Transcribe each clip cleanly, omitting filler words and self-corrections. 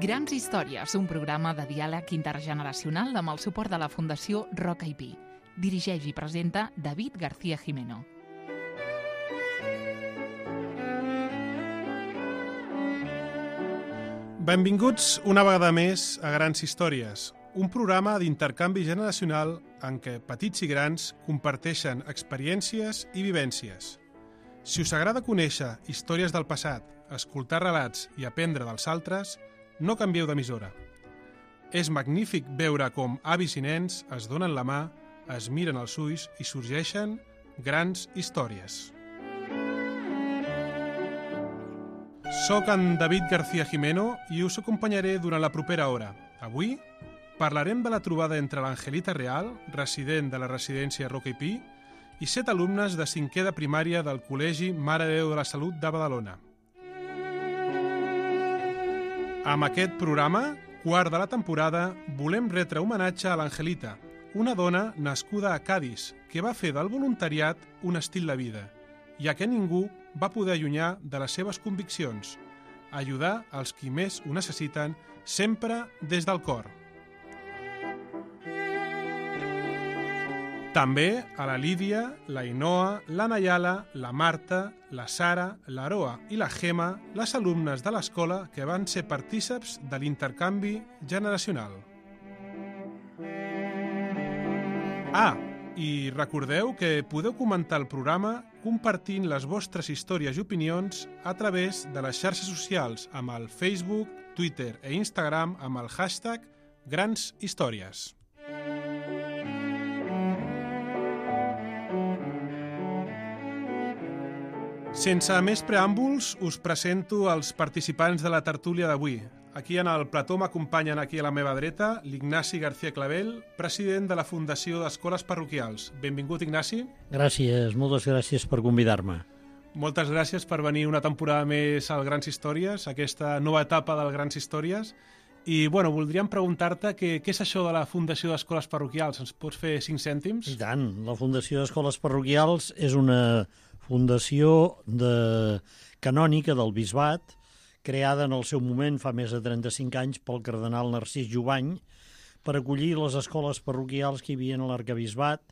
Grans històries, un programa de diàleg intergeneracional amb el suport de la Fundació Roca i Pi. Dirigeix i presenta David García Jimeno. Benvinguts una vegada més a Grans històries, un programa d'intercanvi generacional en què petits i grans comparteixen experiències i vivències. Si us agrada conèixer històries del passat, escoltar relats i aprendre dels altres, no canvieu d'emissora. És magnífic veure com avis i nens es donen la mà, es miren als ulls i sorgeixen grans històries. Soc en David García Jimeno i us acompanyaré durant la propera hora. Avui parlarem de la trobada entre l'Angelita Real, resident de la residència Roca i Pi, i 7 alumnes de 5è de primària del Col·legi Mare de Déu de la Salut de Badalona. Amb aquest programa, quart de la temporada, volem retre homenatge a l'Angelita, una dona nascuda a Cadis que va fer del voluntariat un estil de vida, ja que ningú va poder allunyar de les seves conviccions, ajudar els qui més ho necessiten, sempre des del cor. També a la Lídia, la Inoa, la Nayala, la Marta, la Sara, l'Aroa i la Gemma, les alumnes de l'escola que van ser partíceps de l'intercanvi generacional. I recordeu que podeu comentar el programa compartint les vostres històries i opinions a través de les xarxes socials amb el Facebook, Twitter i Instagram amb el hashtag Grans Històries. Sense més preàmbuls, us presento els participants de la tertúlia d'avui. Aquí en el plató m'acompanyen aquí a la meva dreta l'Ignasi García Clavel, president de la Fundació d'Escoles Parroquials. Benvingut, Ignasi. Gràcies, moltes gràcies per convidar-me. Moltes gràcies per venir una temporada més al Grans Històries, aquesta nova etapa del Grans Històries. I, voldríem preguntar-te què és això de la Fundació d'Escoles Parroquials. Ens pots fer 5 cèntims? I tant, la Fundació d'Escoles Parroquials és una fundació canònica del Bisbat, creada en el seu moment fa més de 35 anys pel cardenal Narcís Jubany per acollir les escoles parroquials que hi havia a l'arquebisbat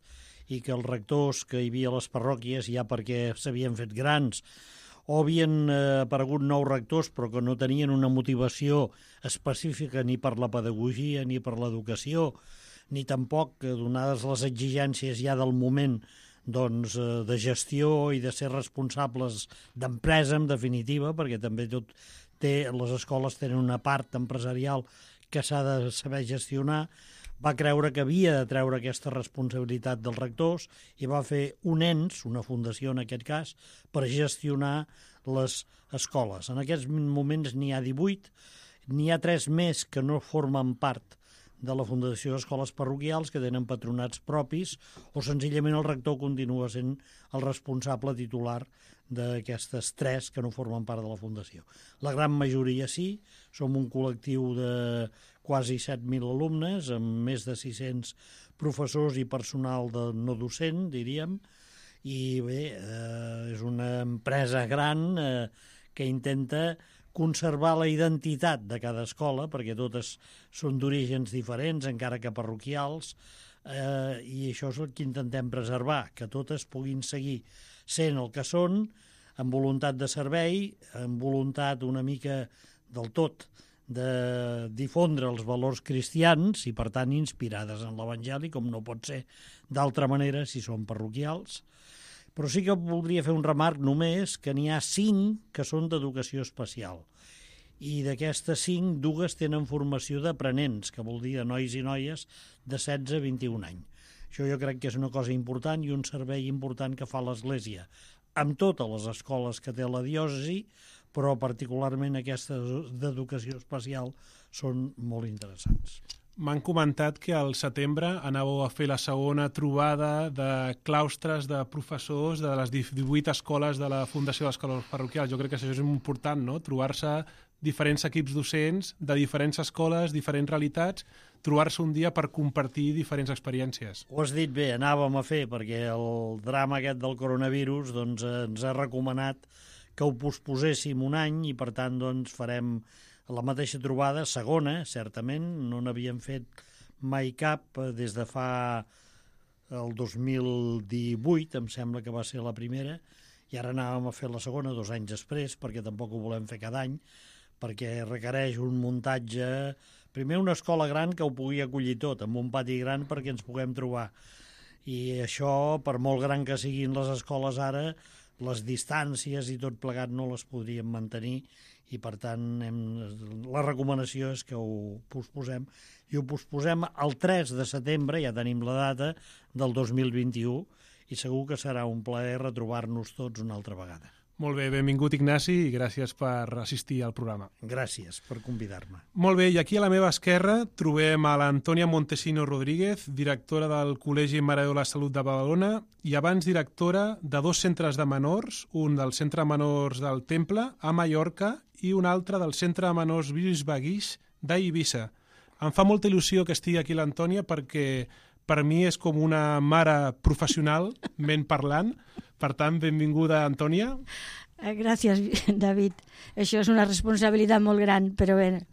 i que els rectors que hi havia a les parròquies, ja perquè s'havien fet grans o havien aparegut nous rectors però que no tenien una motivació específica ni per la pedagogia ni per l'educació, ni tampoc, donades les exigències ja del moment, de gestió i de ser responsables d'empresa, en definitiva, perquè també les escoles tenen una part empresarial que s'ha de saber gestionar, va creure que havia de treure aquesta responsabilitat dels rectors i va fer un ens, una fundació en aquest cas, per gestionar les escoles. En aquests moments n'hi ha 18, n'hi ha 3 més que no formen part de la Fundació d'Escoles Parroquials, que tenen patronats propis, o senzillament el rector continua sent el responsable titular d'aquestes 3 que no formen part de la Fundació. La gran majoria sí, som un col·lectiu de quasi 7.000 alumnes, amb més de 600 professors i personal no docent, diríem, i bé, és una empresa gran que intenta conservar la identitat de cada escola, perquè totes són d'orígens diferents, encara que parroquials, i això és el que intentem preservar, que totes puguin seguir sent el que són, amb voluntat de servei, amb voluntat una mica del tot de difondre els valors cristians i, per tant, inspirades en l'Evangeli, com no pot ser d'altra manera si són parroquials. Però sí que voldria fer un remarc només que n'hi ha 5 que són d'educació especial. I d'aquestes 5, 2 tenen formació d'aprenents, que vol dir de nois i noies de 16 a 21 anys. Això jo crec que és una cosa important i un servei important que fa l'Església amb totes les escoles que té la diòcesi, però particularment aquestes d'educació especial són molt interessants. M'han comentat que al setembre anàveu a fer la segona trobada de claustres de professors de les 18 escoles de la Fundació d'Escoles Parroquials. Jo crec que això és important, no? Trobar-se diferents equips docents de diferents escoles, diferents realitats, trobar-se un dia per compartir diferents experiències. Ho has dit bé, anàvem a fer, perquè el drama aquest del coronavirus ens ha recomanat que ho posposéssim un any i, per tant, doncs, farem la mateixa trobada, segona, certament, no n'havíem fet mai cap des de fa el 2018, em sembla que va ser la primera, i ara anàvem a fer la segona 2 anys després, perquè tampoc ho volem fer cada any, perquè requereix un muntatge, primer una escola gran que ho pugui acollir tot, amb un pati gran perquè ens puguem trobar. I això, per molt gran que siguin les escoles ara, les distàncies i tot plegat no les podríem mantenir i, per tant, la recomanació és que ho posposem. I ho posposem el 3 de setembre, ja tenim la data, del 2021, i segur que serà un plaer retrobar-nos tots una altra vegada. Molt bé, benvingut Ignasi i gràcies per assistir al programa. Gràcies per convidar-me. Molt bé, i aquí a la meva esquerra trobem a l'Antònia Montesino Rodríguez, directora del Col·legi Mare de la Salut de Badalona i abans directora de 2 centres de menors, un del Centre de Menors del Temple, a Mallorca, i un altre del Centre de Menors Bisbe Guix d'Eivissa. Em fa molta il·lusió que estigui aquí l'Antònia perquè per mi és com una mare professional, ment parlant. Per tant, benvinguda, Antònia. Gràcies, David. Això és una responsabilitat molt gran, però bé,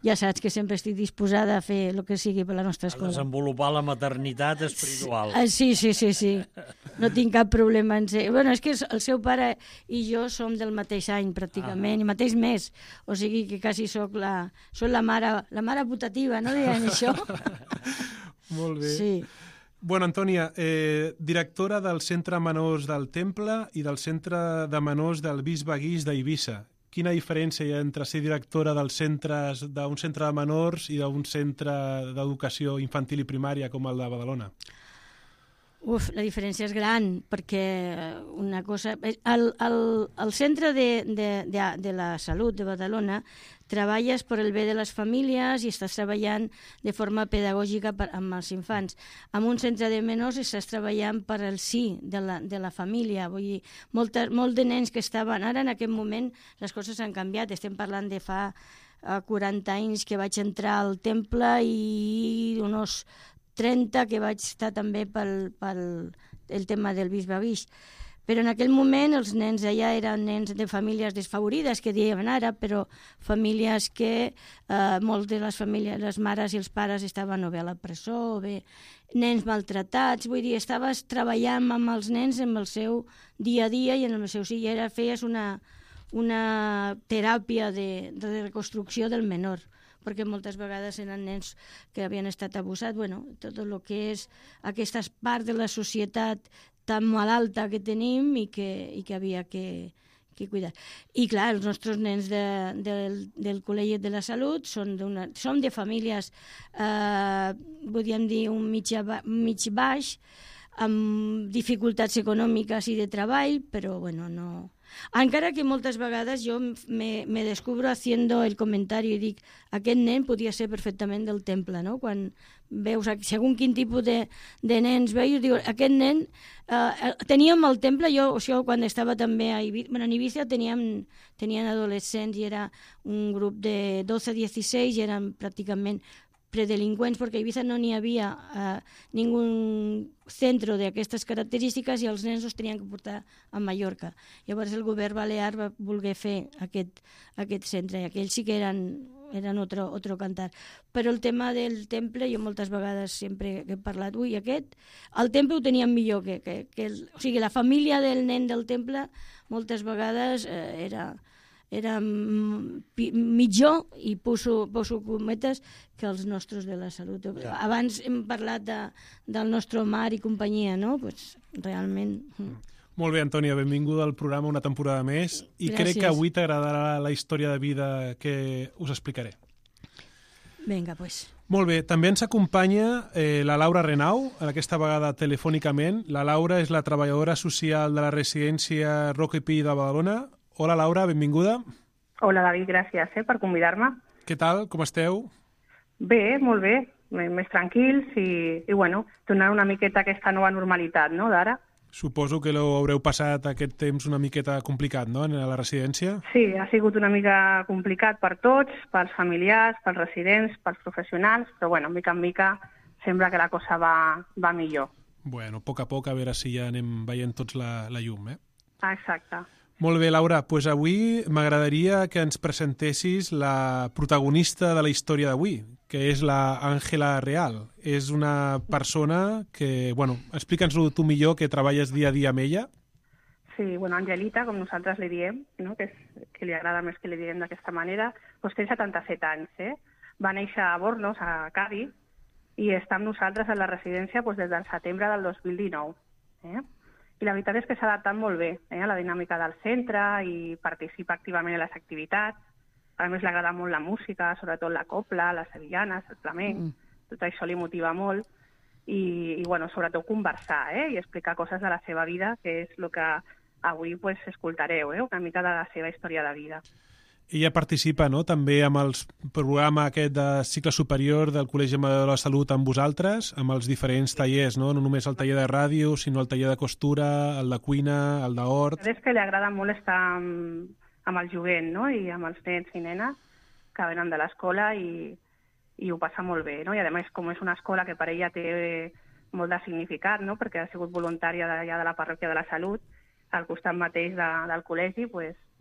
ja saps que sempre estic disposada a fer el que sigui per la nostra escola. A desenvolupar la maternitat espiritual. Sí. No tinc cap problema en ser... Bueno, és que el seu pare i jo som del mateix any, pràcticament, i mateix mes. O sigui que quasi soc la mare putativa, no deien això? Molt bé. Sí. Bueno, Antònia, directora del Centre Menors del Temple i del Centre de Menors del Bisbe Guix d'Eivissa. Quina diferència hi ha entre ser directora d'un centre de menors i d'un centre d'educació infantil i primària com el de Badalona? La diferència és gran, perquè una cosa... El Centre de la Salut de Badalona treballes per el bé de les famílies i estàs treballant de forma pedagògica amb els infants. En un centre de menors estàs treballant per al sí de la família. Vull dir, molt de nens que estaven... Ara, en aquest moment, les coses han canviat. Estem parlant de fa 40 anys que vaig entrar al temple i uns 30 que vaig estar també pel tema del Bisbe Guix. Però en aquell moment els nens allà eren nens de famílies desfavorides, que diem ara, però famílies que moltes de les famílies, les mares i els pares estaven o bé a la presó, o bé nens maltratats, vull dir, estaves treballant amb els nens en el seu dia a dia i en el seu sí, i feies una teràpia de reconstrucció del menor, perquè moltes vegades eren nens que havien estat abusats, tot el que és aquesta part de la societat tan malalta que tenim i que havia que cuidar. I clar, els nostres nens del Col·legi de la Salut som de famílies, podríem dir, un mig baix, amb dificultats econòmiques i de treball, però no... Encara que moltes vegades jo me descubro haciendo el comentari i dic, aquest nen podia ser perfectament del temple, no? Quan veus segons quin tipus de nens veus, diu, aquest nen teníem al temple, jo quan estava també a Eivissa, en Eivissa tenien adolescents i era un grup de 12-16 i eren pràcticament predelinqüents, perquè a Eivissa no n'hi havia ningú centre d'aquestes característiques i els nens els tenien que portar a Mallorca. Llavors el govern balear va voler fer aquest centre i aquells sí que eren otro cantar. Però el tema del temple, jo moltes vegades sempre he parlat, el temple ho tenien millor o sigui, la família del nen del temple moltes vegades era millor, i poso cometes, que els nostres de la salut. Abans hem parlat del nostre Omar i companyia, no? Pues, realment... Molt bé, Antònia, benvinguda al programa una temporada més i Gràcies. Crec que avui t'agradarà la història de vida que us explicaré. Vinga, pues. Molt bé, també ens acompanya la Laura Renau, aquesta vegada telefònicament. La Laura és la treballadora social de la residència Roca i Pi de Badalona. Hola, Laura, benvinguda. Hola, David, gràcies per convidar-me. Què tal, com esteu? Bé, molt bé, més tranquils i donar una miqueta aquesta nova normalitat, no?, d'ara. Suposo que haureu passat aquest temps una miqueta complicat, no?, a la residència? Sí, ha sigut una mica complicat per tots, pels familiars, pels residents, pels professionals, però mica en mica sembla que la cosa va millor. Bueno, a poc a veure si ja anem veient tots la llum, eh? Exacte. Molt bé, Laura. Doncs avui m'agradaria que ens presentessis la protagonista de la història d'avui, que és la Àngela Real. És una persona que, bueno, explica'ns-ho tu millor, que treballes dia a dia amb ella. Sí, bueno, Angelita, com nosaltres li diem, no? que li agrada més que li diguem d'aquesta manera, doncs té 77 anys. Va néixer a Bornos, a Cádiz, i està amb nosaltres a la residència des del setembre del 2019. I la veritat és que s'ha adaptat molt bé a la dinàmica del centre i participa activament en les activitats. A més, li agrada molt la música, sobretot la copla, les sevillanes, el flamenc. Tot això li motiva molt. I bueno, sobretot conversar i explicar coses de la seva vida, que és el que avui escoltareu, una mica de la seva història de vida. Ella participa també amb el programa aquest de cicle superior del Col·legi Amador de la Salut amb vosaltres, amb els diferents tallers, no només el taller de ràdio, sinó el taller de costura, el de cuina, el d'hort. És que li agrada molt estar amb el jovent, i amb els nens i nenes que venen de l'escola i ho passa molt bé, I a més, com és una escola que per ella té molt de significat, perquè ha sigut voluntària d'allà de la parròquia de la Salut, al costat mateix del col·legi,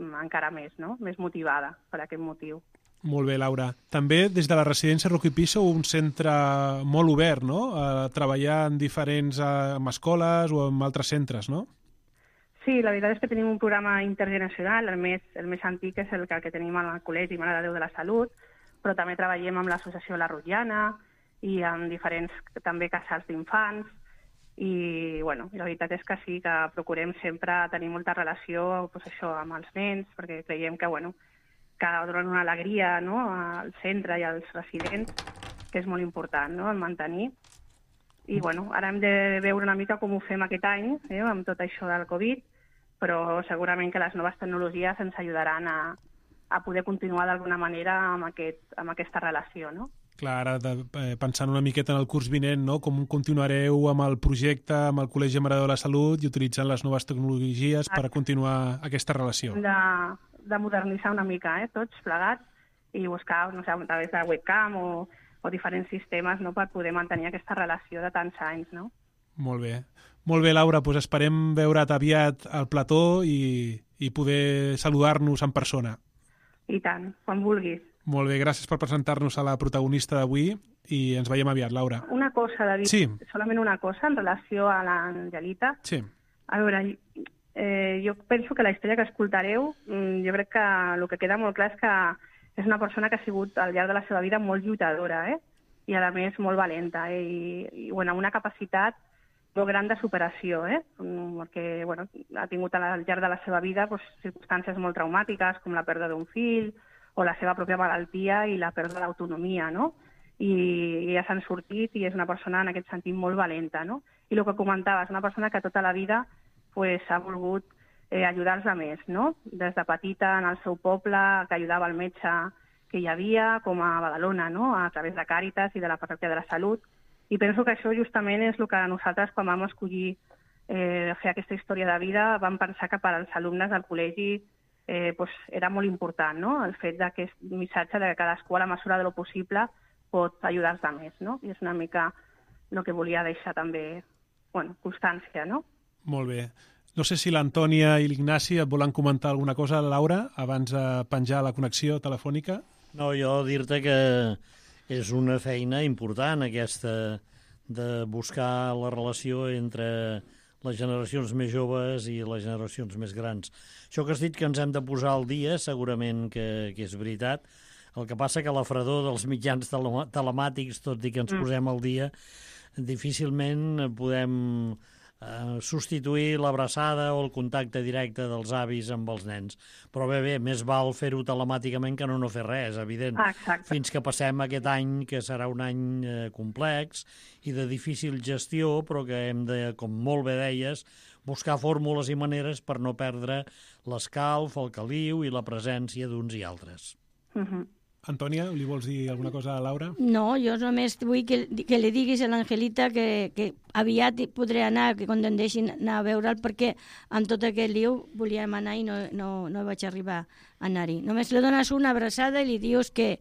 encara més, més motivada per aquest motiu. Molt bé, Laura. També des de la residència Roca i Pi sou un centre molt obert, a treballar en diferents escoles o en altres centres, no? Sí, la veritat és que tenim un programa intergeneracional, el més antic és el que tenim al Col·legi Mare de Déu de la Salut, però també treballem amb l'associació La Rotllana i amb diferents també casals d'infants. I la veritat és que sí, que procurem sempre tenir molta relació amb els nens, perquè creiem que donen una alegria al centre i als residents, que és molt important el mantenir. I ara hem de veure una mica com ho fem aquest any, amb tot això del Covid, però segurament que les noves tecnologies ens ajudaran a poder continuar d'alguna manera amb aquesta relació, Clar, ara pensant una miqueta en el curs vinent, com continuareu amb el projecte, amb el Col·legi Mare de la Salut i utilitzant les noves tecnologies per continuar aquesta relació. De modernitzar una mica, tots plegats, i buscar, a través de webcam o diferents sistemes per poder mantenir aquesta relació de tants anys, Molt bé. Molt bé, Laura, doncs esperem veure't aviat al plató i poder saludar-nos en persona. I tant, quan vulguis. Molt bé, gràcies per presentar-nos a la protagonista d'avui i ens veiem aviat, Laura. Una cosa, David, sí. Solament una cosa en relació a l'Angelita. Sí. A veure, jo penso que la història que escoltareu, jo crec que el que queda molt clar és que és una persona que ha sigut al llarg de la seva vida molt lluitadora, i a més molt valenta, i una capacitat molt gran de superació, perquè ha tingut al llarg de la seva vida circumstàncies molt traumàtiques, com la pèrdua d'un fill, o la seva pròpia malaltia i la pèrdua d'autonomia, I ja s'han sortit i és una persona en aquest sentit molt valenta, I el que comentaves, una persona que tota la vida ha volgut ajudar els altres, Des de petita en el seu poble, que ajudava el metge que hi havia, com a Badalona, a través de Càritas i de la parròquia de la Salut. I penso que això justament és el que nosaltres, quan vam escollir fer aquesta història de vida, vam pensar que per als alumnes del col·legi era molt important, el fet d'aquest missatge de que cadascú a la mesura de lo possible pot ajudar els altres, I és una mica el que volia deixar també constància, Molt bé. No sé si l'Antònia i l'Ignasi et volen comentar alguna cosa, Laura, abans de penjar la connexió telefònica. No, jo dir-te que és una feina important aquesta de buscar la relació entre les generacions més joves i les generacions més grans. Això que has dit que ens hem de posar al dia, segurament que és veritat. El que passa que la fredor dels mitjans telemàtics, tot i que ens posem al dia, difícilment podem substituir l'abraçada o el contacte directe dels avis amb els nens. Però bé, més val fer-ho telemàticament que no fer res, evident. Exacte. Fins que passem aquest any, que serà un any complex i de difícil gestió, però que hem de, com molt bé deies, buscar fórmules i maneres per no perdre l'escalf, el caliu i la presència d'uns i altres. Antònia, li vols dir alguna cosa a Laura? No, jo només vull que li diguis a l'Angelita que aviat podré anar, que quan em deixin anar a veure'l, perquè amb tot aquest liu volíem anar i no vaig arribar a anar-hi. Només li dones una abraçada i li dius que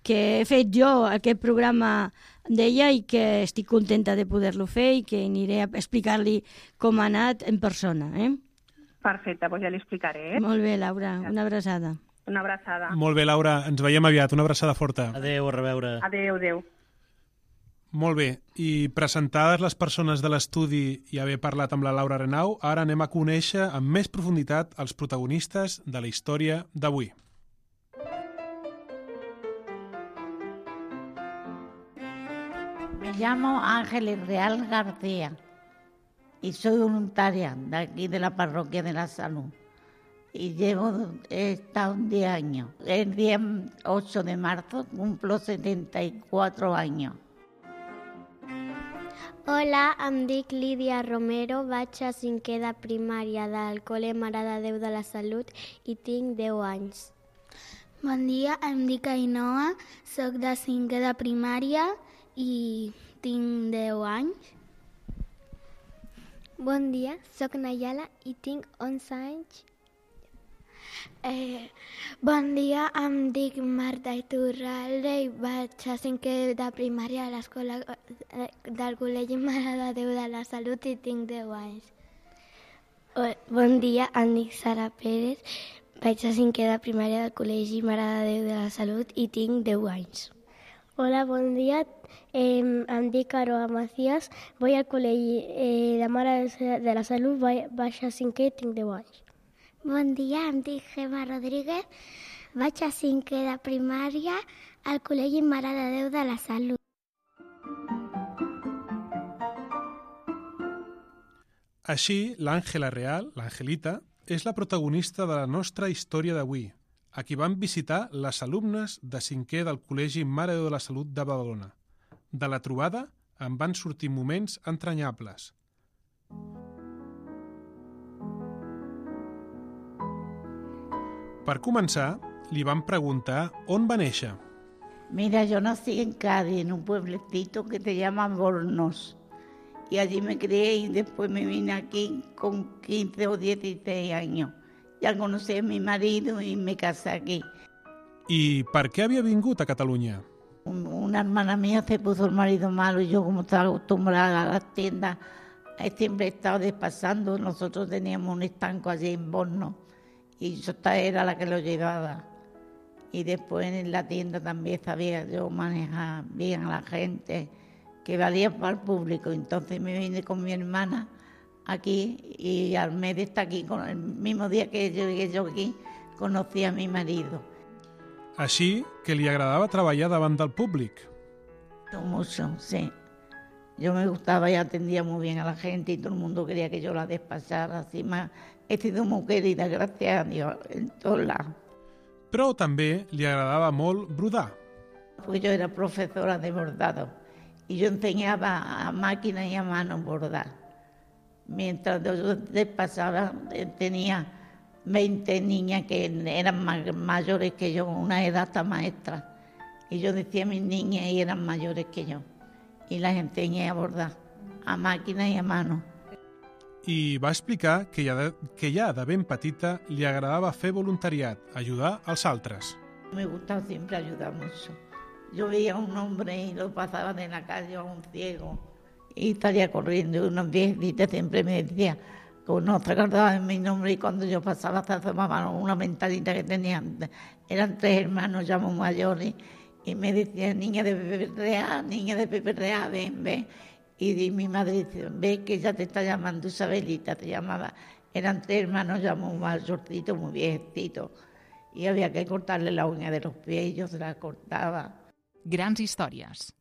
he fet jo aquest programa d'ella i que estic contenta de poder-lo fer i que aniré a explicar-li com ha anat en persona, Perfecte, doncs ja li explicaré. Molt bé, Laura, una abraçada. Una abraçada. Molt bé, Laura, ens veiem aviat. Una abraçada forta. Adéu, a reveure. Adéu, adéu. Molt bé, i presentades les persones de l'estudi i haver parlat amb la Laura Renau, ara anem a conèixer amb més profunditat els protagonistes de la història d'avui. Me llamo Ángeles Real García y soy voluntaria de aquí de la Parroquia de la Salud. Y he estado 10 años. El día 8 de marzo cumplo 74 años. Hola, em dic Lídia Romero, vaig a cinquè de primària del Col·le Mare de Déu de la Salut i tinc 10 anys. Bon dia, em dic Ainhoa, soc de cinquè de primària i tinc 10 anys. Bon dia, soc Nayala i tinc 11 anys. Bon dia, em dic Marta Iturralde i vaig a cinquè de primària a l'escola del Col·legi Mare de Déu de la Salut i tinc 10 anys. Bon dia, em dic Sara Pérez, vaig a cinquè de primària del Col·legi Mare de Déu de la Salut i tinc 10 anys. Hola, bon dia, em dic Aroa Macías, vull al Col·legi de Mare de la Salut, vaig a cinquè i tinc 10 anys. Bon dia, em dic Gemma Rodríguez, vaig a cinquè de primària al Col·legi Mare de Déu de la Salut. Així, l'Àngela Real, l'Angelita, és la protagonista de la nostra història d'avui, a qui van visitar les alumnes de cinquè del Col·legi Mare de Déu de la Salut de Badalona. De la trobada en van sortir moments entranyables. Per començar, li van preguntar on va néixer. Mira, yo nací en Cádiz, en un pueblecito que se llama Bornos. Y allí me crié y después me vine aquí con 15 o 16 años. Ya conocí a mi marido y me casé aquí. I per què havia vingut a Catalunya? Una hermana mía se puso el marido malo y yo, como estaba acostumbrada a las tiendas, siempre he estado despasando. Nosotros teníamos un estanco allí en Bornos y yo era la que lo llevaba. Y después en la tienda también sabía yo manejar bien a la gente, que valía para el público. Entonces me vine con mi hermana aquí y al mes de estar aquí, con el mismo día que llegué yo aquí, conocí a mi marido. Així que li agradava treballar davant del públic. Mucho, sí. Yo me gustaba y atendía muy bien a la gente y todo el mundo quería que yo la despachara. Así más, he sido muy querida, gracias a Dios, en todos lados. Però també li agradava molt brodar. Pues yo era profesora de bordado y yo enseñaba a máquina y a mano bordar. Mientras yo despachaba, tenía 20 niñas que eran mayores que yo, una era hasta maestra. Y yo decía a mis niñas y eran mayores que yo. Y las enseñé a bordar, a máquina y a mano. I va explicar que ja de ben petita li agradava fer voluntariat, ajudar als altres. Me gustaba siempre ayudar mucho. Yo veía a un hombre y lo pasaba de la calle a un ciego y salía corriendo. Y una viejita siempre me decía, que no se acordaba de mi nombre, y cuando yo pasaba se asomaba una ventanita que tenían. Eran 3 hermanos ya muy mayores y me decían, niña de Pepe Real, ven, ven. Y mi madre dice, ve que ya te está llamando Isabelita, te llamaba. Eran 3 hermanos ya muy mayorcitos, muy viejecitos. Y había que cortarle la uña de los pies y yo se la cortaba. Grans històries.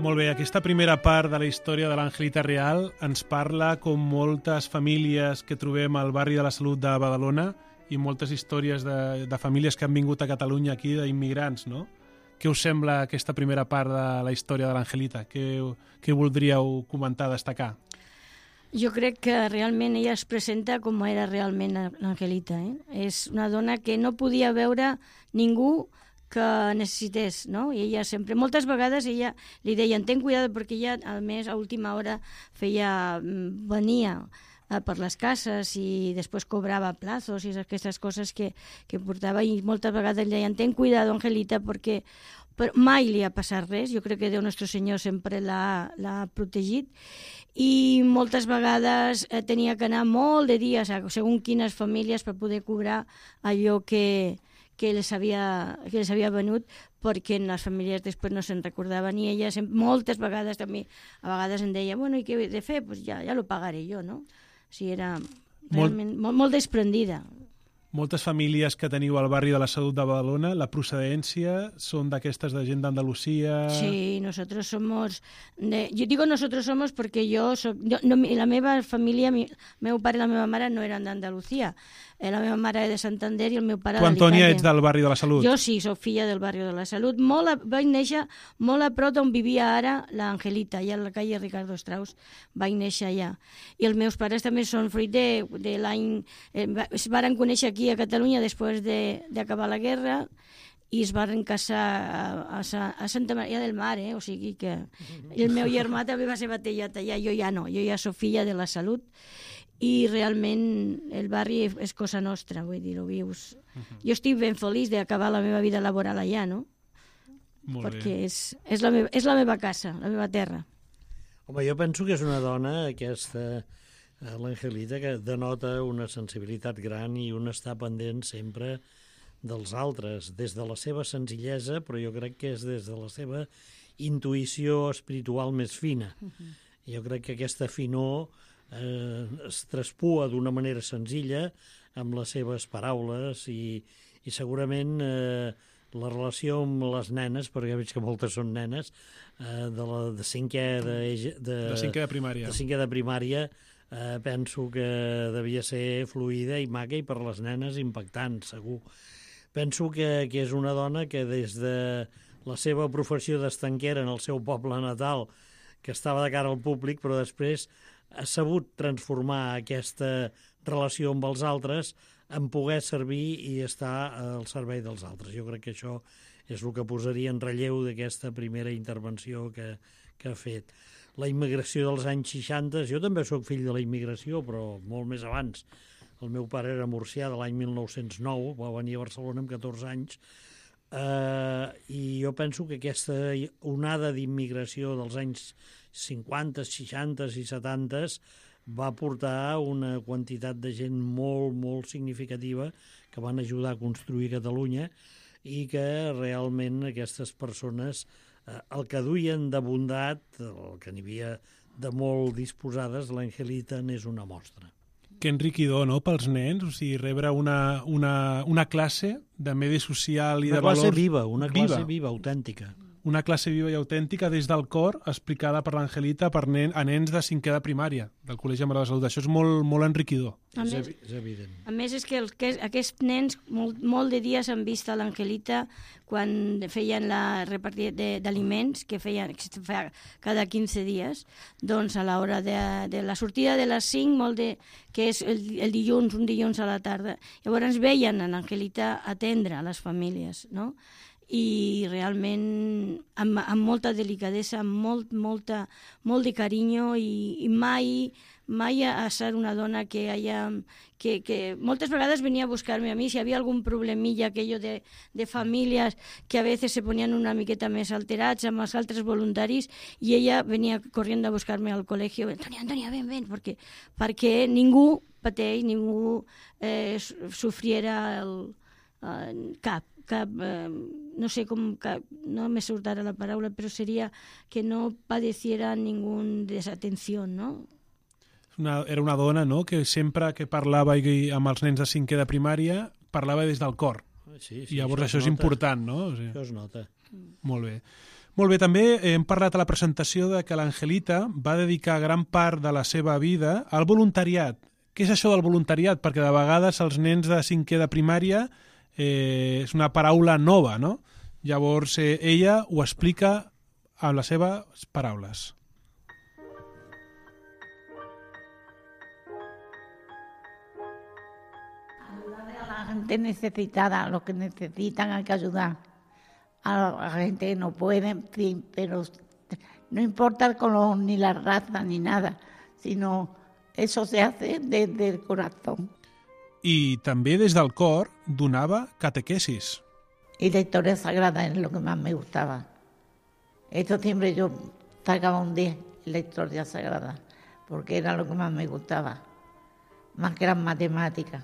Molt bé, aquesta primera part de la història de l'Angelita Real ens parla com moltes famílies que trobem al barri de la Salut de Badalona i moltes històries de famílies que han vingut a Catalunya aquí, d'immigrants, no? Què us sembla aquesta primera part de la història de l'Angelita? Què voldríeu comentar, destacar? Jo crec que realment ella es presenta com era realment l'Angelita. És una dona que no podia veure ningú que necessités, no? I ella sempre, moltes vegades ella li deien, ten cuidado, perquè ella, a més, a última hora venia per les cases i després cobrava plazos i aquestes coses que portava, i moltes vegades li deien ten cuidado, Angelita, perquè mai li ha passat res. Jo crec que Déu Nostre Senyor sempre l'ha protegit, i moltes vegades tenia que anar molt de dies a segons quines famílies per poder cobrar allò que les havia venut, perquè en les famílies després no se'n recordaven, i ella moltes vegades també, a vegades em deia, bueno, i què he de fer? Pues ja lo pagaré jo, no? O sigui, era realment molt desprendida. Moltes famílies que teniu al barri de la Salut de Badalona, la procedència són d'aquestes de gent d'Andalusia... Sí, nosotros somos... Yo digo nosotros somos porque la meva família, meu pare i la meva mare no eren d'Andalucía. La meva mare és de Santander i el meu pare d'Alicante. Tu, Antònia, ets del barri de la Salut? Jo sí, soc filla del barri de la Salut. Vaig néixer molt a prop d'on vivia ara l'Angelita, allà a la calle Ricardo Strauss. Vaig néixer allà. I els meus pares també són fruit de l'any... Es varen conèixer aquí a Catalunya després d'acabar la guerra i es van casar a Santa Maria del Mar, o sigui que el meu germà també va ser batallat allà, jo ja no, jo ja soc filla de la Salut, i realment el barri és cosa nostra, vull dir, ho vius. Jo estic ben feliç d'acabar la meva vida laboral allà, no? Molt perquè bé. És la meva casa, la meva terra. Home, jo penso que és una dona, aquesta, l'Angelita, que denota una sensibilitat gran i un estar pendent sempre dels altres, des de la seva senzillesa, però jo crec que és des de la seva intuïció espiritual més fina. Jo crec que aquesta finor es traspua d'una manera senzilla amb les seves paraules i segurament la relació amb les nenes, perquè veig que moltes són nenes, de cinquè de primària. De cinquè de primària, penso que devia ser fluida i maca, i per les nenes impactant, segur. Penso que és una dona que des de la seva professió d'estanquera en el seu poble natal, que estava de cara al públic, però després ha sabut transformar aquesta relació amb els altres en poder servir i estar al servei dels altres. Jo crec que això és el que posaria en relleu d'aquesta primera intervenció que ha fet. La immigració dels anys 60, jo també sóc fill de la immigració, però molt més abans. El meu pare era murcià de l'any 1909, va venir a Barcelona amb 14 anys, i jo penso que aquesta onada d'immigració dels anys 50, 60 i 70 va portar una quantitat de gent molt, molt significativa que van ajudar a construir Catalunya, i que realment aquestes persones el que duien de bondat, el que n'hi havia de molt disposades, l'Angelita n'és una mostra. Que enriquidor, no?, pels nens, o sigui, rebre una classe de medi social i de valors... Una classe viva, autèntica. Una classe viva i autèntica des del cor, explicada per l'Angelita a nens de cinquè de primària, del Col·legi Mare de la Salut. Això és molt, molt enriquidor. És evident. A més, és que aquests nens molt de dies han vist a l'Angelita quan feien la repartida d'aliments, que feien cada 15 dies, doncs a l'hora de la sortida de les 5, que és el dilluns, un dilluns a la tarda. Llavors veien a l'Angelita atendre a les famílies, no?, i realment amb molta delicadesa, amb molt de carinyo, i mai ha estat una dona que moltes vegades venia a buscar-me a mi si havia algun problemilla aquello de famílies que a veces se ponían una miqueta més alterats amb els altres voluntaris, i ella venia corriendo a buscar-me al col·legi. Antònia, ven, perquè ningú pateix, ningú sofriera cap, no sé com, no me surt ara la paraula, però seria que no padeciera ninguna desatenció, no? Era una dona, no?, que sempre que parlava amb els nens de cinquè de primària parlava des del cor. Sí, i llavors això és important, no? O sigui, això es nota. Molt bé. Molt bé, també hem parlat a la presentació de que l'Angelita va dedicar gran part de la seva vida al voluntariat. Què és això del voluntariat? Perquè de vegades els nens de cinquè de primària és una paraula nova, no? Llavors ella ho explica amb les seves paraules. A la gente necesitada, los que necesitan hay que ayudar. A la gente que no puede, en fin, pero no importa el color, ni la raza, ni nada, sino Eso se hace desde el corazón. I també des del cor donava catequesis. Y la historia sagrada es lo que más me gustaba. Esto siempre yo sacaba un 10 en la historia sagrada, porque era lo que más me gustaba, más que las matemáticas.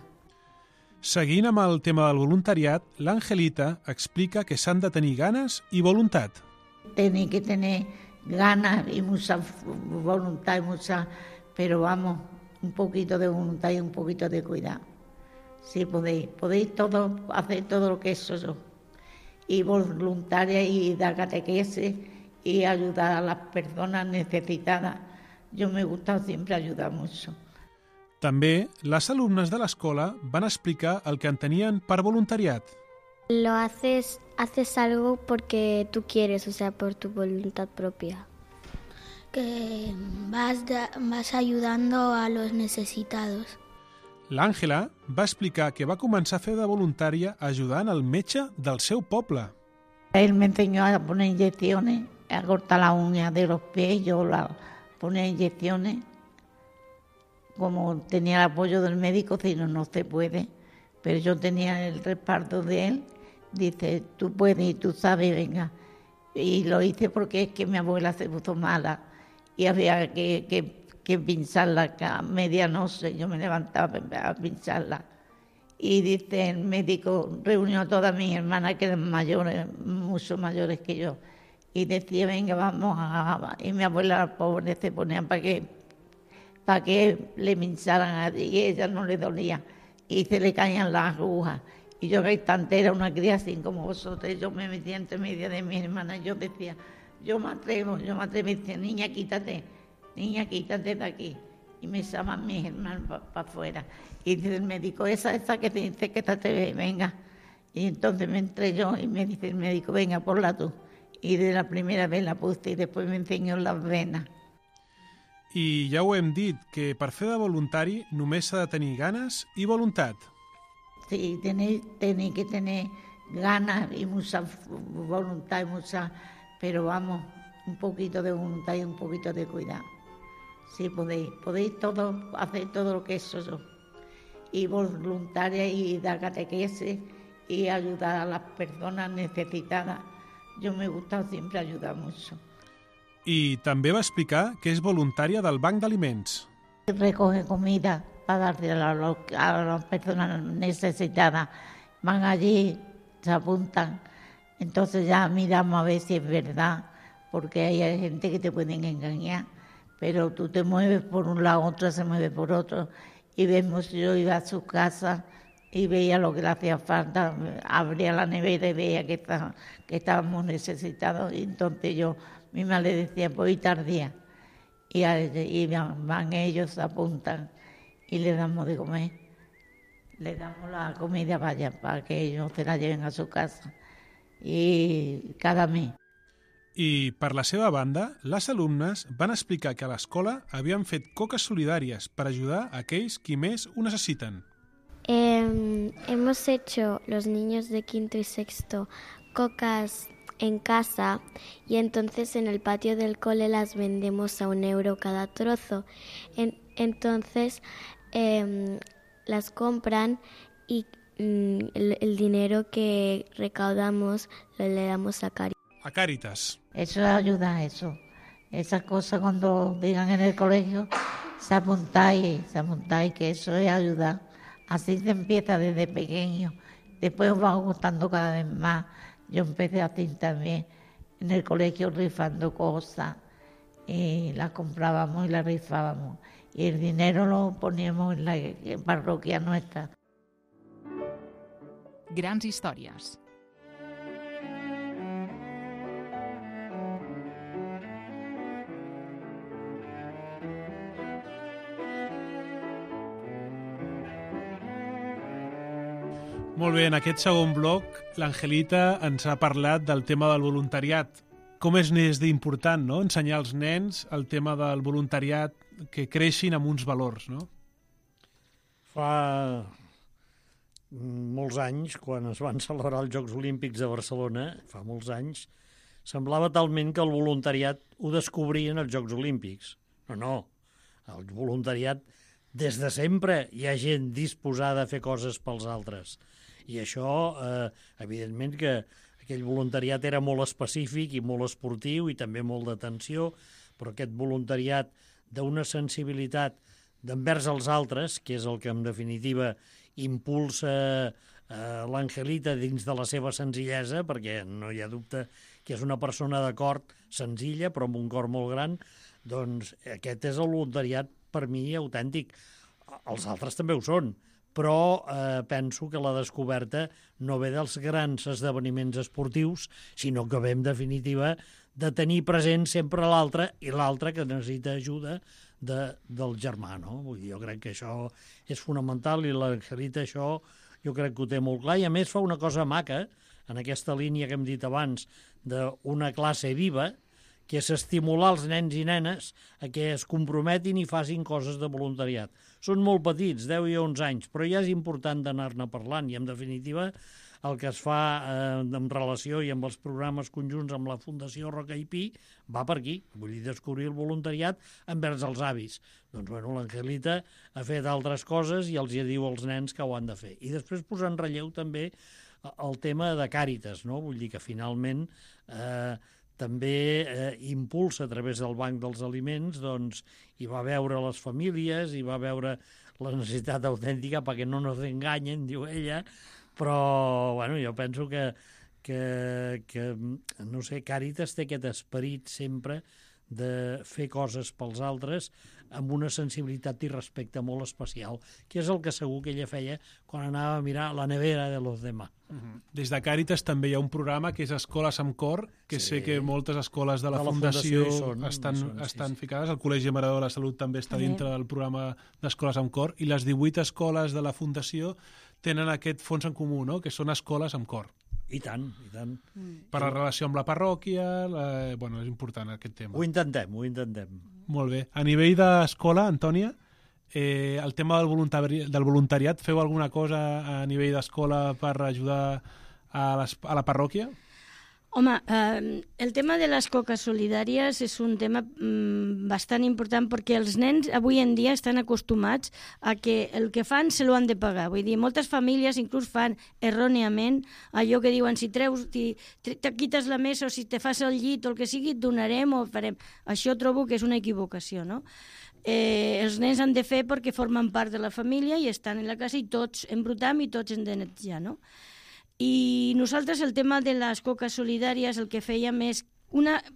Seguint amb el tema del voluntariat, l'Angelita explica que s'han de tenir ganes i voluntat. Tenía que tener ganas y mucha voluntad, pero vamos, un poquito de voluntad y un poquito de cuidado. Sí, podéis todo, hacer todo lo que eso yo. Y voluntaria y dar catequesis y ayudar a las personas necesitadas. Yo me gusta siempre ayudar mucho. També, les alumnes de l'escola van explicar el que entenien per voluntariat. Lo haces algo porque tú quieres, o sea, por tu voluntad propia. Que vas ayudando a los necesitados. L'Àngela va explicar que va començar a fer de voluntària ajudant el metge del seu poble. Él me enseñó a poner inyecciones, a cortar las uñas de los pies, yo ponía inyecciones. Como tenía el apoyo del médico, si no se puede, pero yo tenía el respaldo de él, dice, tú puedes y tú sabes, venga. Y lo hice porque es que mi abuela se puso mala y había que pincharla a medianoche, yo me levantaba a pincharla. Y dice el médico, reunió a todas mis hermanas que eran mayores, mucho mayores que yo, y decía, venga, vamos y mi abuela pobre se ponía para que le pincharan y ella no le dolía y se le caían las agujas. Y yo que instante era una cría así como vosotros, yo me metía entre medio de mis hermanas, yo decía, yo me atrevo, y decía, niña, quítate de aquí. Y me llaman mis hermanos para afuera. Y dice el médico, esa que te dice que te venga. Y entonces me entré yo y me dice el médico, venga, ponla tú. Y de la primera vez la puse y después me enseñó las venas. I ja ho hem dit, que per fer de voluntari només s'ha de tenir ganes i voluntat. Sí, tenéis que tener ganas y mucha voluntad, pero vamos, un poquito de voluntad y un poquito de cuidado. Sí, podéis todo, hacer todo lo que eso yo. Y voluntaria y dar catequesis y ayudar a las personas necesitadas. Yo me gusta siempre ayudar mucho. I també va explicar que és voluntària del Banc d'Aliments. Recoge comida para dársela a las personas necesitadas. Van allí, se apuntan. Entonces ya miramos a ver si es verdad, porque hay gente que te pueden engañar. Pero tú te mueves por un lado, otra se mueve por otro. Y vemos, yo iba a su casa y veía lo que le hacía falta, abría la nevera y veía que estábamos necesitados. Y entonces yo misma le decía, pues hoy tardía. Y van ellos, se apuntan y le damos de comer. Le damos la comida para que ellos se la lleven a su casa. Y cada mes. I per la seva banda, les alumnes van explicar que a l'escola havien fet coques solidàries per ajudar a aquells qui més ho necessiten. Hemos hecho los niños de quinto y sexto cocas en casa y entonces en el patio del cole las vendemos a €1 cada trozo. Entonces las compran y el dinero que recaudamos le damos a Caritas. A Càritas. Eso ayuda, eso. Esas cosas cuando digan en el colegio, se apuntáis, que eso es ayudar. Así se empieza desde pequeño. Después os va gustando cada vez más. Yo empecé así también, en el colegio rifando cosas. Y las comprábamos y las rifábamos. Y el dinero lo poníamos en la parroquia nuestra. Grans històries. Molt bé, en aquest segon bloc l'Angelita ens ha parlat del tema del voluntariat. Com és d'important, no?, ensenyar als nens el tema del voluntariat, que creixin amb uns valors, no? Fa molts anys, quan es van celebrar els Jocs Olímpics de Barcelona, fa molts anys, semblava talment que el voluntariat ho descobrien als Jocs Olímpics. No. El voluntariat, des de sempre, hi ha gent disposada a fer coses pels altres. I això, evidentment que aquell voluntariat era molt específic i molt esportiu i també molt d'atenció, però aquest voluntariat d'una sensibilitat d'envers els altres, que és el que en definitiva impulsa l'Angelita dins de la seva senzillesa, perquè no hi ha dubte que és una persona de cor senzilla però amb un cor molt gran, doncs aquest és el voluntariat per mi autèntic. Els altres també ho són, però penso que la descoberta no ve dels grans esdeveniments esportius, sinó que ve en definitiva de tenir present sempre l'altre i l'altre que necessita ajuda del germà, no? Vull dir, jo crec que això és fonamental i l'Angelita això jo crec que ho té molt clar i a més fa una cosa maca en aquesta línia que hem dit abans d'una classe viva, que és estimular els nens i nenes a que es comprometin i facin coses de voluntariat. Són molt petits, 10 i 11 anys, però ja és important d'anar-ne parlant i en definitiva el que es fa en relació i amb els programes conjunts amb la Fundació Roca i Pi va per aquí, vull dir, descobrir el voluntariat envers els avis. Doncs, bueno, l'Angelita ha fet altres coses i els hi diu als nens que ho han de fer. I després posar en relleu també el tema de Càritas, no? Vull dir que finalment també impulsa a través del Banc dels Aliments, doncs hi va veure les famílies, hi va veure la necessitat autèntica perquè no nos enganyen, diu ella, però bueno, jo penso que no sé, Càritas té aquest esperit sempre de fer coses pels altres amb una sensibilitat i respecte molt especial, que és el que segur que ella feia quan anava a mirar la nevera de los demás. Des de Càritas també hi ha un programa que és Escoles amb Cor, que sé que moltes escoles de la Fundació estan ficades. El Col·legi Maradó de la Salut també està dintre del programa d'Escoles amb Cor i les 18 escoles de la Fundació tenen aquest fons en comú, no? Que són escoles amb cor. I tant, i tant. Per la relació amb la parròquia, bueno, és important aquest tema. Ho intentem. Molt bé. A nivell d'escola, Antònia, el tema del voluntariat, feu alguna cosa a nivell d'escola per ajudar a la parròquia? Home, el tema de les coques solidàries és un tema bastant important perquè els nens avui en dia estan acostumats a que el que fan se lo han de pagar. Vull dir, moltes famílies inclús fan erròniament allò que diuen si te quites la mesa o si te fas el llit o el que sigui, et donarem o farem. Això trobo que és una equivocació, no? Els nens han de fer perquè formen part de la família i estan en la casa i tots embrutam i tots hem de netejar, no? I nosaltres el tema de les coques solidàries el que fèiem és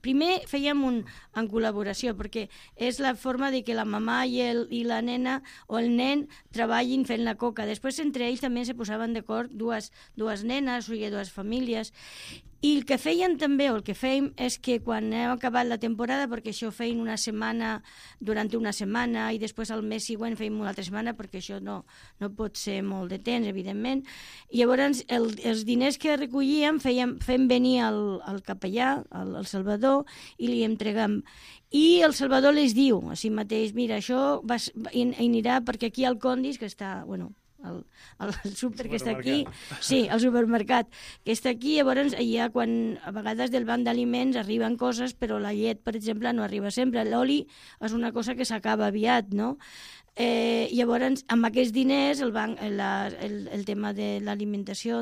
primer fèiem en col·laboració, perquè és la forma de que la mamà i la nena o el nen treballin fent la coca. Després entre ells també se posaven d'acord dues nenes, o dues famílies. I el que feien també, o el que fèiem, és que quan hem acabat la temporada, perquè això feien una setmana, durant una setmana, i després al mes següent feim una altra setmana, perquè això no pot ser molt de temps, evidentment. I llavors els diners que recollíem fem venir al capellà, al Salvador, i li entregam. I el Salvador les diu a si mateix, mira, això anirà perquè aquí al Condis, que està, bueno, el súper que està aquí, sí, el supermercat que està aquí, llavors allà quan a vegades del banc d'aliments arriben coses però la llet, per exemple, no arriba sempre, l'oli és una cosa que s'acaba aviat, no? Llavors amb aquests diners el tema de l'alimentació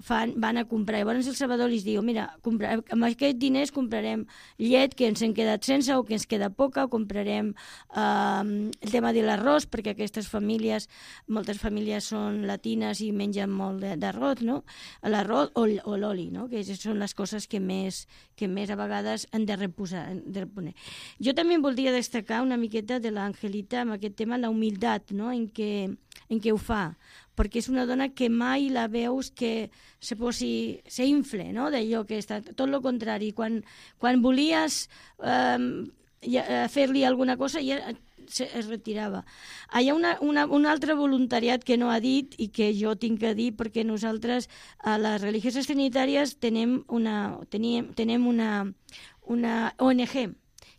van a comprar, llavors el Salvador li diu, mira, amb aquests diners comprarem llet que ens hem quedat sense o que ens queda poca, o comprarem el tema de l'arròs, perquè aquestes famílies, moltes famílies són latines i mengen molt d'arròs, no? L'arròs o l'oli, no? Que són les coses que més a vegades han de reposar. Jo també voldria destacar una miqueta de l'Angelita amb aquest tema, la humilitat, no? en què ho fa, perquè és una dona que mai la veus que s'infle, no? D'allò que està, tot el contrari, quan volies fer-li alguna cosa ja es retirava. Hi ha un altre voluntariat que no ha dit i que jo tinc que dir, perquè nosaltres a les religioses trinitàries tenem una ONG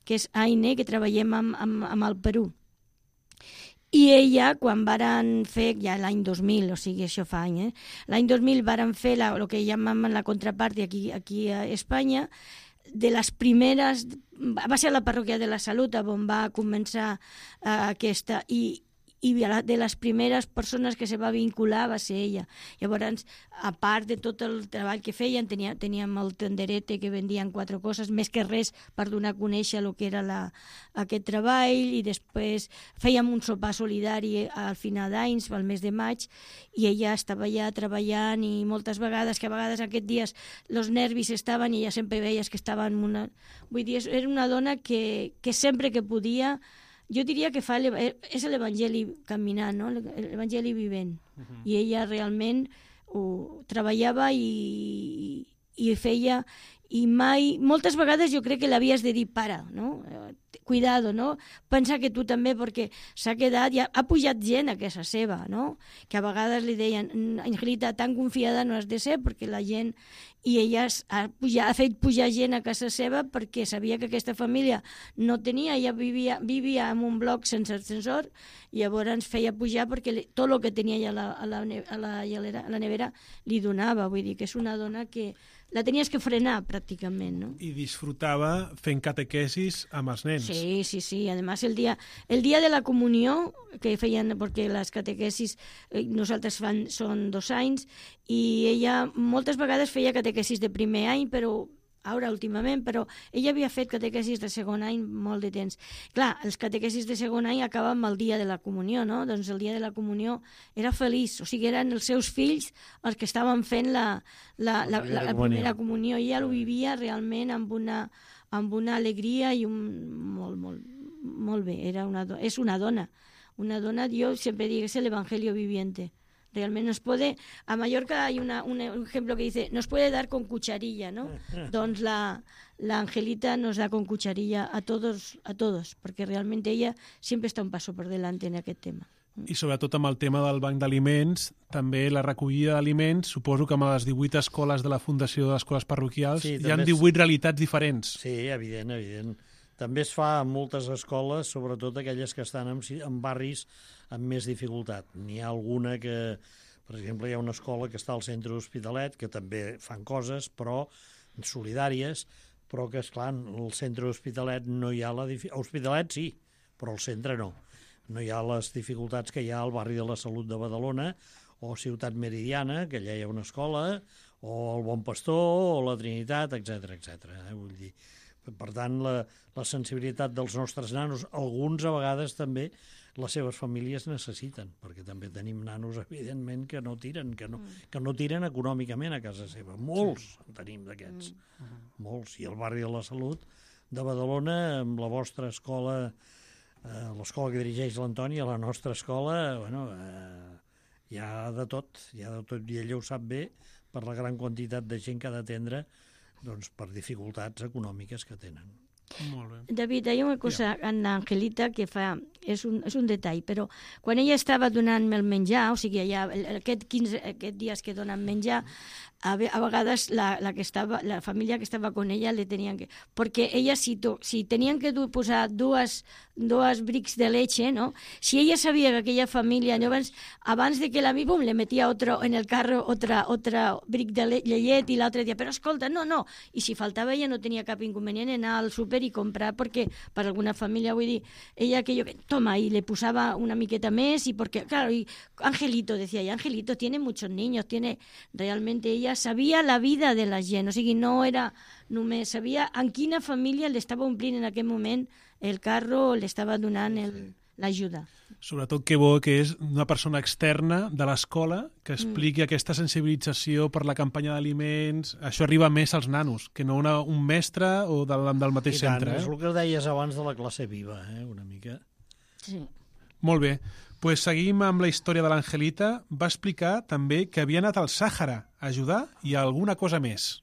que és AINE, que treballem amb el Perú. I ella, quan varen fer, ja l'any 2000, o sigui, això fa l'any 2000 varen fer el que llamem la contrapart aquí a Espanya, de les primeres... Va ser la parròquia de la Salut on va començar aquesta... I de les primeres persones que se va vincular va ser ella. Llavors, a part de tot el treball que feien, teníem el tenderete que vendien 4 coses, més que res per donar a conèixer el que era aquest treball, i després fèiem un sopar solidari al final d'anys, al mes de maig, i ella estava allà treballant, i moltes vegades, que a vegades aquests dies els nervis estaven i ella sempre veies que estava en una... Vull dir, era una dona que sempre que podia... Jo diria que és l'Evangeli caminant, no? L'Evangeli vivent. I ella realment ho treballava i feia... I mai... Moltes vegades jo crec que l'havies de dir, para, no? Cuidado, no? Pensa que tu també, perquè s'ha quedat... Ha pujat gent a casa seva, no? Que a vegades li deien, Angelita, tan confiada no has de ser, perquè la gent... I ella ha fet pujar gent a casa seva perquè sabia que aquesta família no tenia, ella vivia en un bloc sense ascensor, i llavors feia pujar perquè tot el que tenia allà a la nevera li donava. Vull dir que és una dona que la tenies que frenar pràcticament, no? I disfrutava fent catequesis amb els nens. Sí. Además, el día de la comunió, que feien, perquè les catequesis nosaltres són 2 anys, i ella moltes vegades feia catequesis de primer any, però ara últimament, però ella havia fet catequesis de segon any molt de temps. Clar, els catequesis de segon any acaben amb el dia de la comunió, no? Doncs el dia de la comunió era feliç, o sigui, eren els seus fills els que estaven fent la primera comunió, i ella ho vivia realment amb una alegria i molt bé. És una dona, jo sempre dic, és l'Evangelio viviente. Realment nos puede, a Mallorca hay un ejemplo que dice, nos puede dar con cucharilla, ¿no? Doncs la Angelita nos da con cucharilla a todos, perquè realment ella sempre està un passo per delante en aquest tema. I sobretot amb el tema del banc d'aliments, també la recollida d'aliments, suposo que amb les 18 escoles de la Fundació d'Escoles Parroquials hi ha 18 realitats diferents. Sí, evident. També es fa en moltes escoles, sobretot aquelles que estan en barris amb més dificultat. N'hi ha alguna que, per exemple, hi ha una escola que està al centre d'Hospitalet, que també fan coses, però solidàries, però que, esclar, al centre d'Hospitalet no hi ha la dificultat. Hospitalet sí, però al centre no. No hi ha les dificultats que hi ha al barri de la Salut de Badalona, o Ciutat Meridiana, que allà hi ha una escola, o el Bon Pastor, o la Trinitat, etc. Vull dir, per tant, la sensibilitat dels nostres nanos, alguns a vegades també les seves famílies necessiten, perquè també tenim nanos, evidentment, que no tiren, que no tiren econòmicament a casa seva. Molts en tenim d'aquests, molts. I el barri de la Salut de Badalona, amb la vostra escola, l'escola que dirigeix l'Antoni, a la nostra escola, hi ha de tot, i ella ho sap bé, per la gran quantitat de gent que ha d'atendre, doncs, per dificultats econòmiques que tenen. Molt bé. David, hi ha una cosa en Angelita que fa, és un detall, però quan ella estava donant-me el menjar, o sigui, allà, aquests dies que donen menjar, a vegades la família que estava con ella le tenían que... Porque ella, si tenían que posar dos bricks de leche, ¿no? Si ella sabía que aquella familia, abans de que la pum, le metía en el carro otra brick de llet, i l'altre dia, però escolta, no. I si faltava ella no tenia cap inconvenient en anar al súper i comprar, perquè per alguna família, vull dir, ella toma, y le posava una miqueta més, y porque, claro, y Angelito, decía ella, Angelito tiene muchos niños, realmente ella sabia la vida de la gent, o sigui, no era només, sabia en quina família li estava omplint en aquell moment el carro, li estava donant l'ajuda. Sobretot que bo que és una persona externa de l'escola que expliqui aquesta sensibilització per la campanya d'aliments. Això arriba més als nanos, que no un mestre o del mateix centre. És el que deies abans de la classe viva, una mica. Sí. Molt bé. Pues seguim amb la història de l'Angelita. Va explicar també que havia anat al Sàhara a ajudar i a alguna cosa més.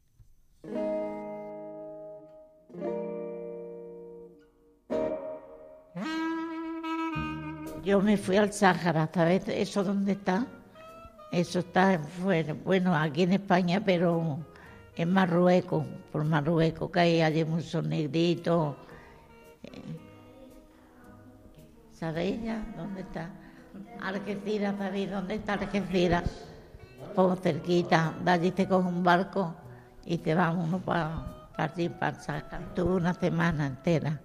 Yo me fui al Sáhara, ¿sabes? ¿Eso dónde está? Eso está bueno, aquí en España, pero en Marruecos, por Marruecos, que hay allí muchos negritos. ¿Sabéis ya dónde está? Algeciras, ¿sabéis dónde está Algeciras? Pues cerquita, de allí te coge un barco y te va uno para partí para sacar. Estuve una semana entera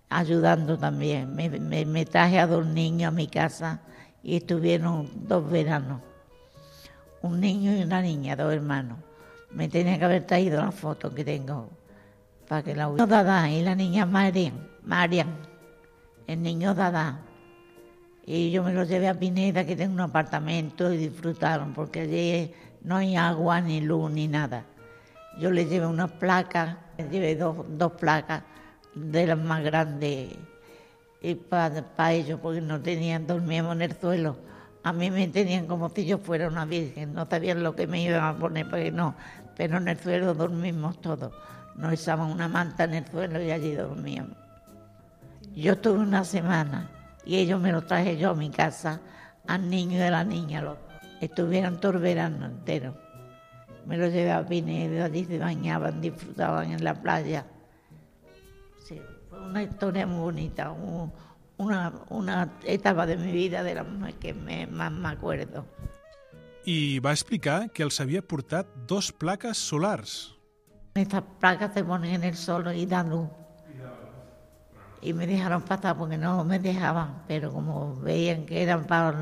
ayudando también. Me traje a 2 niños a mi casa y estuvieron 2 veranos. Un niño y una niña, 2 hermanos. Me tenía que haber traído la foto que tengo para que la hubiera. El niño Dada y la niña Marian, el niño Dada. Y yo me los llevé a Pineda, que tengo un apartamento, y disfrutaron, porque allí no hay agua, ni luz, ni nada. Yo les llevé unas placas, les llevé dos placas de las más grandes y para ellos, porque no tenían, dormíamos en el suelo. A mí me tenían como si yo fuera una virgen, no sabían lo que me iban a poner, porque no, pero en el suelo dormimos todos. Nos echaban una manta en el suelo y allí dormíamos. Yo estuve una semana y ellos me lo traje yo a mi casa, al niño y a la niña. Estuvieron todo el verano entero. Me lo llevé a Pinedo, allí se bañaban, disfrutaban en la playa. Sí, fue una historia muy bonita, una etapa de mi vida de las que más me acuerdo. I va explicar que els havia portat 2 plaques solars. Estas placas se ponen en el sol y dan luz. Y me dejaron pasar porque no me dejaban, pero como veían que eran para...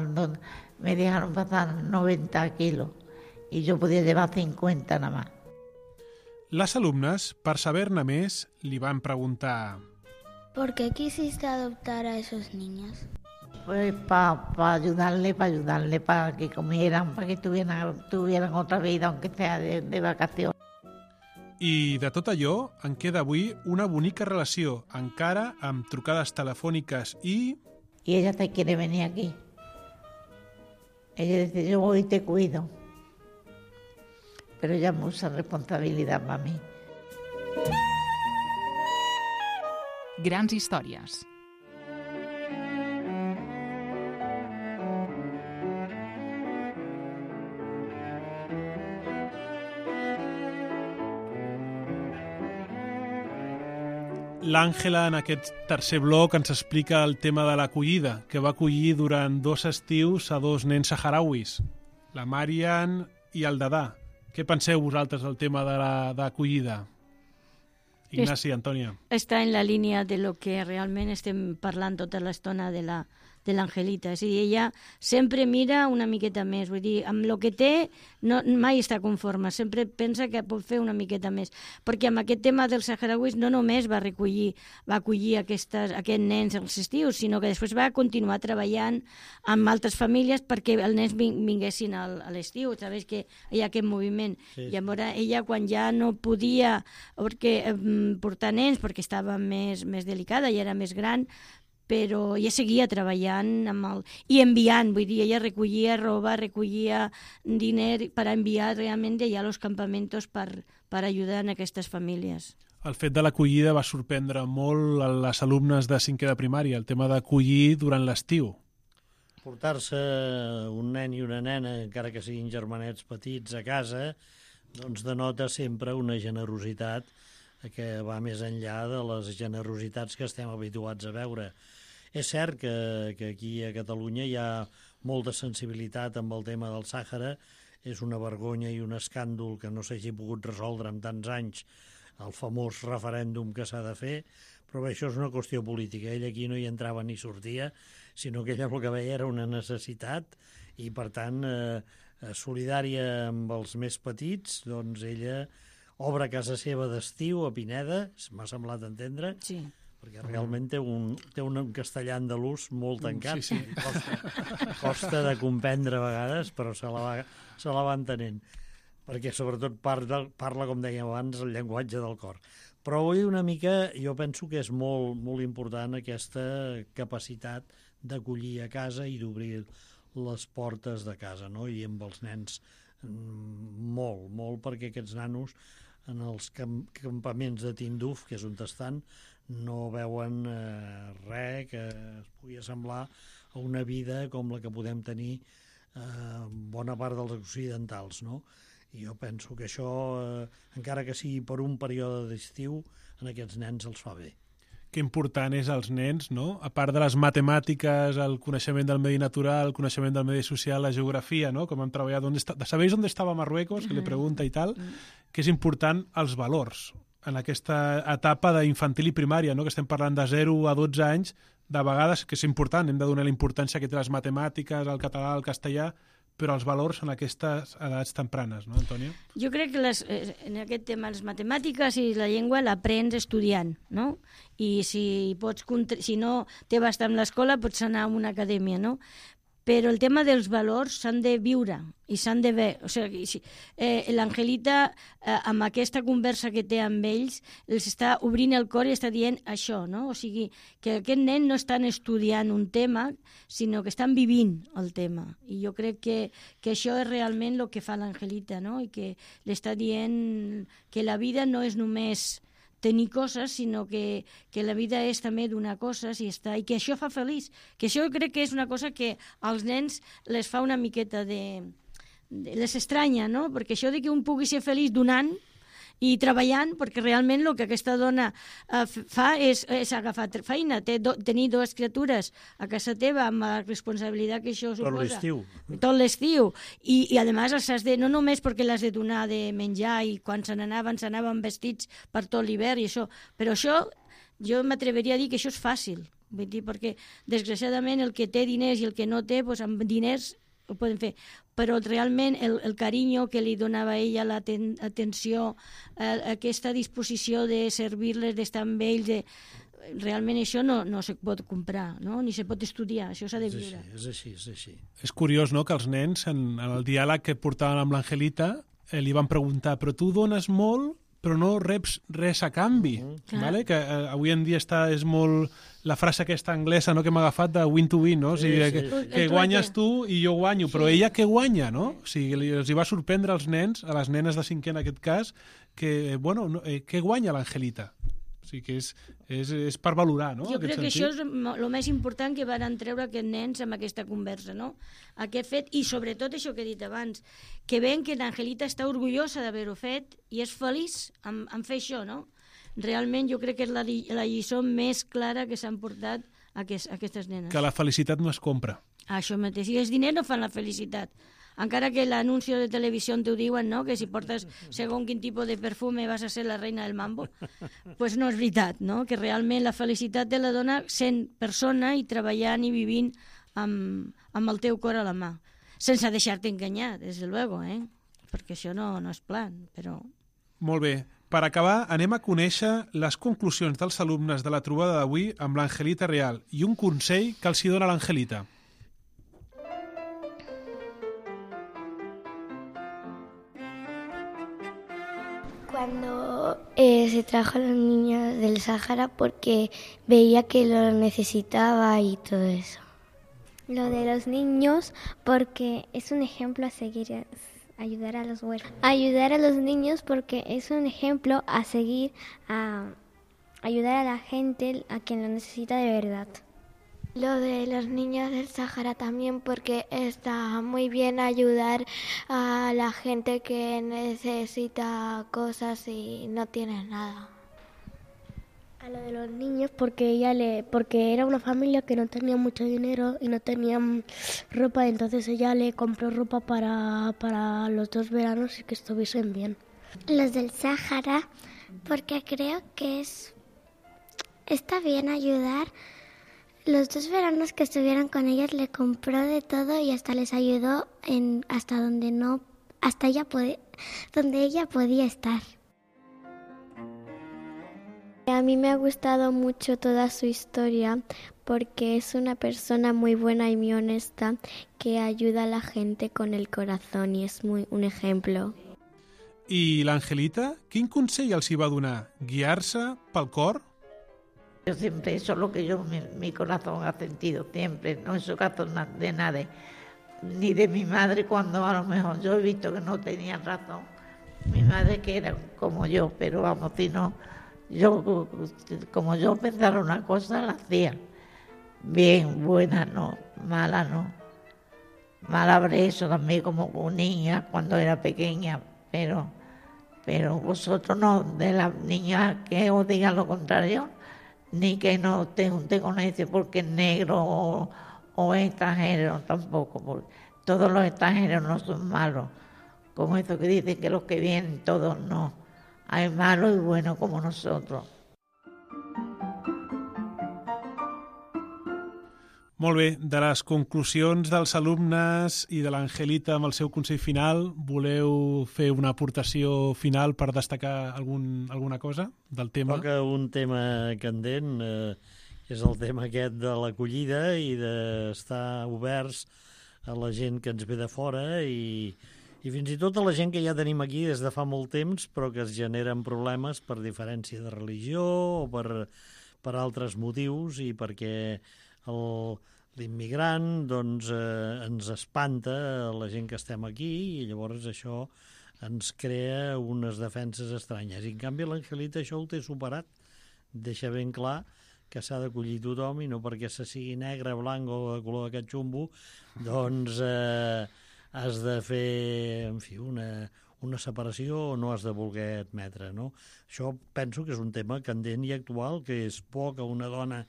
me dejaron pasar 90 kilos y yo podía llevar 50 nada más. Les alumnes, per saber-ne més, li van preguntar... ¿Por qué quisiste adoptar a esos niños? Pues para ayudarle, para que comieran, para que tuvieran otra vida, aunque sea de vacaciones. I de tot allò en queda avui una bonica relació, encara amb trucades telefòniques i... Y ella se quiere venir aquí. Ella dice, yo voy y te cuido. Pero ella es mucha responsabilidad para mí. Grans històries. L'Àngela, en aquest tercer bloc, ens explica el tema de l'acollida, que va acollir durant 2 estius a 2 nens saharauis, la Marian i el Dada. Què penseu vosaltres del tema de l'acollida? Ignasi, Antònia. Està en la línia de lo que realment estem parlant tota l'estona de l'Angelita. És a dir, ella sempre mira una miqueta més. Vull dir, amb el que té mai està conforme. Sempre pensa que pot fer una miqueta més. Perquè amb aquest tema dels saharauis no només va acollir aquests nens als estius, sinó que després va continuar treballant amb altres famílies perquè els nens vinguessin a l'estiu. Sabeu que hi ha aquest moviment. Sí. Llavors ella, quan ja no podia portar nens perquè estava més delicada i era més gran, però ella seguia treballant i enviant, vull dir, ella recollia roba, recollia diner per enviar realment allà als campamentos per ajudar en aquestes famílies. El fet de l'acollida va sorprendre molt a les alumnes de 5è de primària, el tema d'acollir durant l'estiu. Portar-se un nen i una nena, encara que siguin germanets petits, a casa, doncs denota sempre una generositat que va més enllà de les generositats que estem habituats a veure. És cert que aquí a Catalunya hi ha molta sensibilitat amb el tema del Sàhara. És una vergonya i un escàndol que no s'hagi pogut resoldre en tants anys el famós referèndum que s'ha de fer, però bé, això és una qüestió política. Ell aquí no hi entrava ni sortia, sinó que ella el que veia era una necessitat i, per tant, solidària amb els més petits, doncs ella obre casa seva d'estiu a Pineda, m'ha semblat entendre, sí, perquè realment té un castellà andalús molt tancat. Sí. Costa de comprendre a vegades, però se la va entenent, perquè sobretot parla, com dèiem abans, el llenguatge del cor. Però avui una mica jo penso que és molt, molt important aquesta capacitat d'acollir a casa i d'obrir les portes de casa, no? I amb els nens molt, perquè aquests nanos en els campaments de Tinduf, que és on estan, no veuen res que es pugui assemblar a una vida com la que podem tenir bona part dels occidentals, no? I jo penso que això, encara que sigui per un període d'estiu, en aquests nens els fa bé. Que important és als nens, no? A part de les matemàtiques, el coneixement del medi natural, el coneixement del medi social, la geografia, no? Com hem treballat, ¿sabéis dónde estaba Marruecos? Que le pregunta i tal, que és important els valors. en aquesta etapa d'infantil i primària, no? Que estem parlant de 0 a 12 anys, de vegades, que és important, hem de donar la importància que té les matemàtiques, el català, el castellà, però els valors en aquestes edats tempranes, no, Antònia? Jo crec que en aquest tema les matemàtiques i la llengua l'aprens estudiant, no? I si no té bastant amb l'escola, pots anar a una acadèmia, no? Però el tema dels valors s'han de viure i s'han de veure. O sigui, l'Angelita, amb aquesta conversa que té amb ells, els està obrint el cor i està dient això, no? O sigui, que aquest nen no estan estudiant un tema, sinó que estan vivint el tema. I jo crec que això és realment el que fa l'Angelita, no? I que li està dient que la vida no és només tenir coses, sinó que la vida és també donar coses i que això fa feliç. Que això crec que és una cosa que als nens les fa una miqueta les estranya, no? Perquè això de que un pugui ser feliç donant i treballant, perquè realment el que aquesta dona fa és agafar feina, tenir 2 criatures a casa teva amb la responsabilitat que això suposa. Tot l'estiu. I a més els has de, no només perquè l'has de donar de menjar i quan s'anaven vestits per tot l'hivern i això, però això jo m'atreveria a dir que això és fàcil, vull dir, perquè desgraciadament el que té diners i el que no té, doncs amb diners ho poden fer, però realment el carinyo que li donava ella, l'atenció, aquesta disposició de servir-les, d'estar amb ells, realment això no se pot comprar, no? Ni se pot estudiar, això s'ha de viure. És així. És curiós, no?, que els nens, en el diàleg que portaven amb l'Angelita, li van preguntar, però tu dones molt, però no reps res a canvi, vale? Que avui en dia és molt la frase aquesta anglesa, no?, que m'ha agafat de win to win, no? O sigui, que guanyes tu i jo guanyo, però ella què guanya, no? O sigui, els hi va sorprendre als nens, a les nenes de 5è en aquest cas, que, bueno, què guanya l'Angelita? O sigui, que és per valorar, no? Jo crec que això és el més important que van treure aquests nens amb aquesta conversa, no? Aquest fet, i sobretot això que he dit abans, que veuen que l'Angelita està orgullosa d'haver-ho fet i és feliç en fer això, no? Realment jo crec que és la lliçó més clara que s'han portat aquestes nenes. Que la felicitat no es compra. Això mateix, i els diners no fan la felicitat. Encara que l'anunci de televisió t'ho diuen, no?, que si portes segons quin tipus de perfume vas a ser la reina del mambo, pues no és veritat, no?, que realment la felicitat te la dona sent persona i treballant i vivint amb el teu cor a la mà, sense deixar-te enganyar, des de luego, perquè això no és plan, però... Molt bé. Per acabar, anem a conèixer les conclusions dels alumnes de la trobada d'avui amb l'Angelita Real i un consell que els hi dona l'Angelita. Cuando se trajo a los niños del Sáhara porque veía que lo necesitaba y todo eso. Lo de los niños porque es un ejemplo a seguir, ayudar a los huérfanos. Ayudar a los niños porque es un ejemplo a seguir, a ayudar a la gente, a quien lo necesita de verdad. Lo de los niños del Sáhara también porque está muy bien ayudar a la gente que necesita cosas y no tiene nada. A lo de los niños porque era una familia que no tenía mucho dinero y no tenían ropa, entonces ella le compró ropa para los 2 veranos y que estuviesen bien. Los del Sáhara porque creo que está bien ayudar. Los 2 veranos que estuvieron con ellos le compró de todo y hasta les ayudó donde ella podía estar. A mí me ha gustado mucho toda su historia porque es una persona muy buena y muy honesta que ayuda a la gente con el corazón y es un ejemplo. I l'Angelita, quin consell els hi va donar? Guiar-se pel cor? Yo siempre, eso es lo que mi corazón ha sentido siempre, no es razón de nadie, ni de mi madre cuando a lo mejor yo he visto que no tenía razón. Mi madre que era como yo, pero vamos, si no, como yo pensara una cosa, la hacía. Bien, buena no, mala no. Mala habré eso también como niña cuando era pequeña, pero vosotros no, de las niñas que os digan lo contrario, ni que no te junte con ese porque es negro o es extranjero tampoco, porque todos los extranjeros no son malos, como eso que dicen que los que vienen todos no, hay malo y bueno como nosotros. Molt bé, de les conclusions dels alumnes i de l'Angelita amb el seu consell final, voleu fer una aportació final per destacar alguna cosa del tema? Toca un tema candent, és el tema aquest de l'acollida i d'estar oberts a la gent que ens ve de fora i fins i tot a la gent que ja tenim aquí des de fa molt temps, però que es generen problemes per diferència de religió o per altres motius i perquè l'immigrant doncs, ens espanta a la gent que estem aquí i llavors això ens crea unes defenses estranyes. I en canvi l'Angelita això ho té superat, deixa ben clar que s'ha d'acollir tothom i no perquè se sigui negre, blanc o de color de catxumbo, doncs has de fer, en fi, una separació o no has de voler admetre, no? Això penso que és un tema candent i actual, que és por que una dona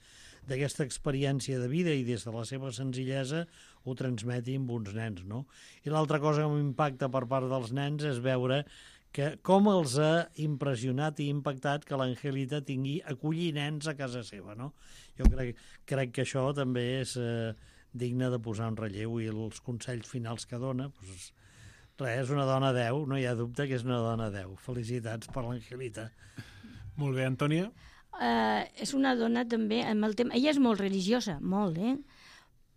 d'aquesta experiència de vida i des de la seva senzillesa ho transmeti amb uns nens, no? I l'altra cosa que m'impacta per part dels nens és veure que com els ha impressionat i impactat que l'Angelita tingui acollir nens a casa seva, no? Jo crec que això també és digne de posar en relleu i els consells finals que dona, doncs, res, és una dona 10, no hi ha dubte que és una dona 10. Felicitats per l'Angelita. Molt bé, Antònia. És una dona també amb el tema... Ella és molt religiosa, molt,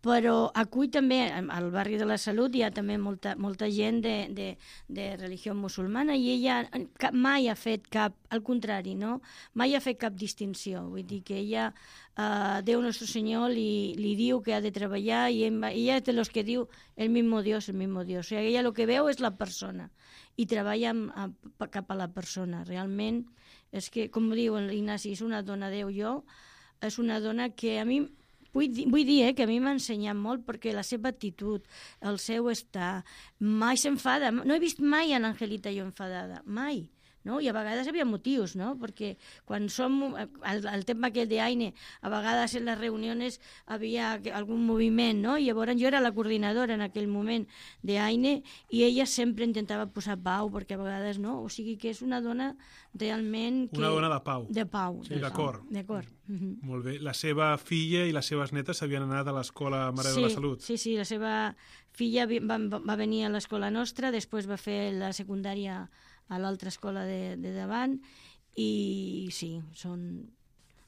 però acull també, al barri de la Salut hi ha també molta gent de religió musulmana i ella mai ha fet cap, al contrari, no? Mai ha fet cap distinció. Vull dir que ella, Déu Nostre Senyor li diu que ha de treballar i ella és de los que diu el mismo Dios, el mismo Dios. O sigui, ella el que veu és la persona i treballa cap a la persona. Realment és que, com diu l'Ignasi, és una dona Déu és una dona que a mi... Vull dir que a mi m'ha ensenyat molt perquè la seva actitud, el seu estar, mai s'enfada. No he vist mai a l'Angelita jo enfadada, mai. No? I a vegades hi havia motius, no? Perquè quan som el tema aquell d'Aine, a vegades en les reunions havia algun moviment, no? I llavors jo era la coordinadora en aquell moment d'Aine i ella sempre intentava posar pau, perquè a vegades no, o sigui que és una dona realment... Una dona de pau. De pau. Sí, d'acord. D'acord. Molt bé. La seva filla i les seves netes s'havien anat a l'escola Mare de la Salut. Sí, la seva filla va venir a l'escola nostra, després va fer la secundària a l'altra escola de davant i sí,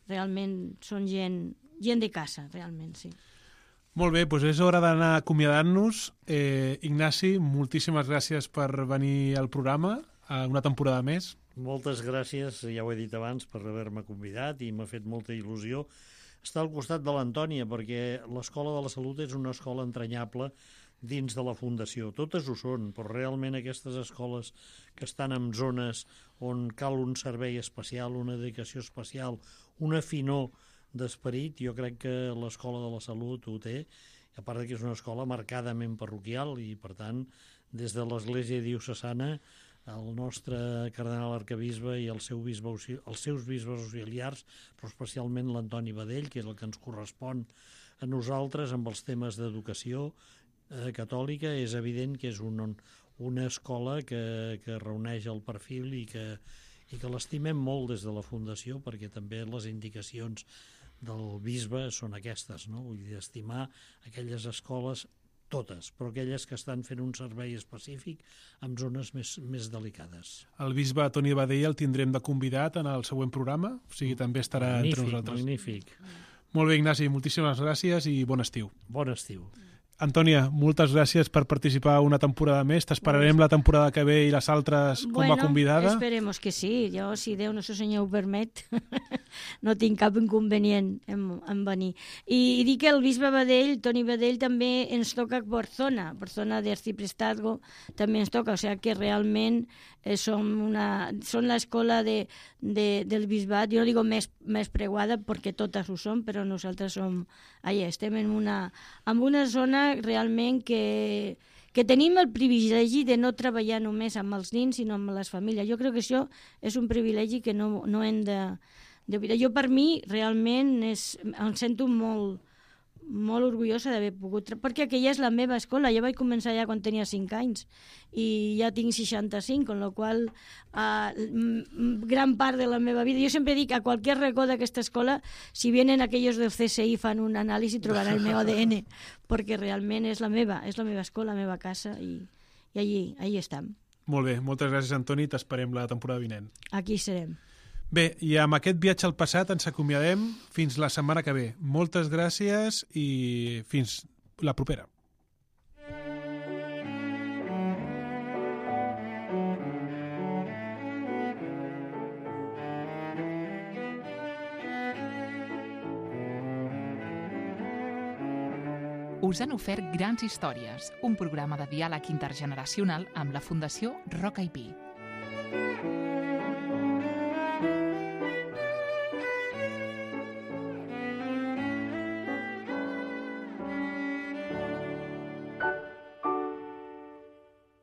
realment són gent de casa, realment, sí. Molt bé, doncs és hora d'anar acomiadant-nos. Ignasi, moltíssimes gràcies per venir al programa una temporada més. Moltes gràcies, ja ho he dit abans, per haver-me convidat i m'ha fet molta il·lusió estar al costat de l'Antònia perquè l'Escola de la Salut és una escola entranyable dins de la Fundació. Totes ho són, però realment aquestes escoles que estan en zones on cal un servei especial, una dedicació especial, una finor d'esperit, jo crec que l'Escola de la Salut ho té, a part que és una escola marcadament parroquial i, per tant, des de l'Església diocesana, el nostre cardenal arcabisbe i els seus bisbes auxiliars, però especialment l'Antoni Badell, que és el que ens correspon a nosaltres amb els temes d'educació catòlica, és evident que és una escola que reuneix el perfil i que l'estimem molt des de la Fundació, perquè també les indicacions del bisbe són aquestes, no? Vull dir, estimar aquelles escoles totes, però aquelles que estan fent un servei específic en zones més delicades. El bisbe Toni Badell el tindrem de convidat en el següent programa, o sigui, també estarà entre nosaltres. Magnífic. Molt bé, Ignasi, moltíssimes gràcies i bon estiu. Bon estiu. Antònia, moltes gràcies per participar una temporada més. T'esperarem la temporada que ve i les altres com a convidada. Esperemos que sí. Jo, si Déu Nostre Senyor ho permet, no tinc cap inconvenient en venir. I dic que el bisbe Badell, Toni Badell, també ens toca per zona d'Arciprestazgo, també ens toca. O sigui que realment són l'escola del bisbat, jo no dic més preguada perquè totes ho són, però nosaltres estem en una zona realment que tenim el privilegi de no treballar només amb els nins, sinó amb les famílies. Jo crec que això és un privilegi que no hem de... Jo, per mi, realment, em sento molt molt orgullosa d'haver pogut... Perquè aquella és la meva escola, jo vaig començar ja quan tenia 5 anys i ja tinc 65, con lo qual gran part de la meva vida... Jo sempre dic, a qualsevol racó d'aquesta escola, si vienen aquellos del CSI fan un anàlisi, trobaran el meu ADN, perquè realment és la meva escola, la meva casa, i allí estem. Molt bé, moltes gràcies, Antoni, t'esperem la temporada vinent. Aquí serem. Bé, i amb aquest viatge al passat ens acomiadem fins la setmana que ve. Moltes gràcies i fins la propera. Us han ofert Grans Històries, un programa de diàleg intergeneracional amb la Fundació Roca i Pi.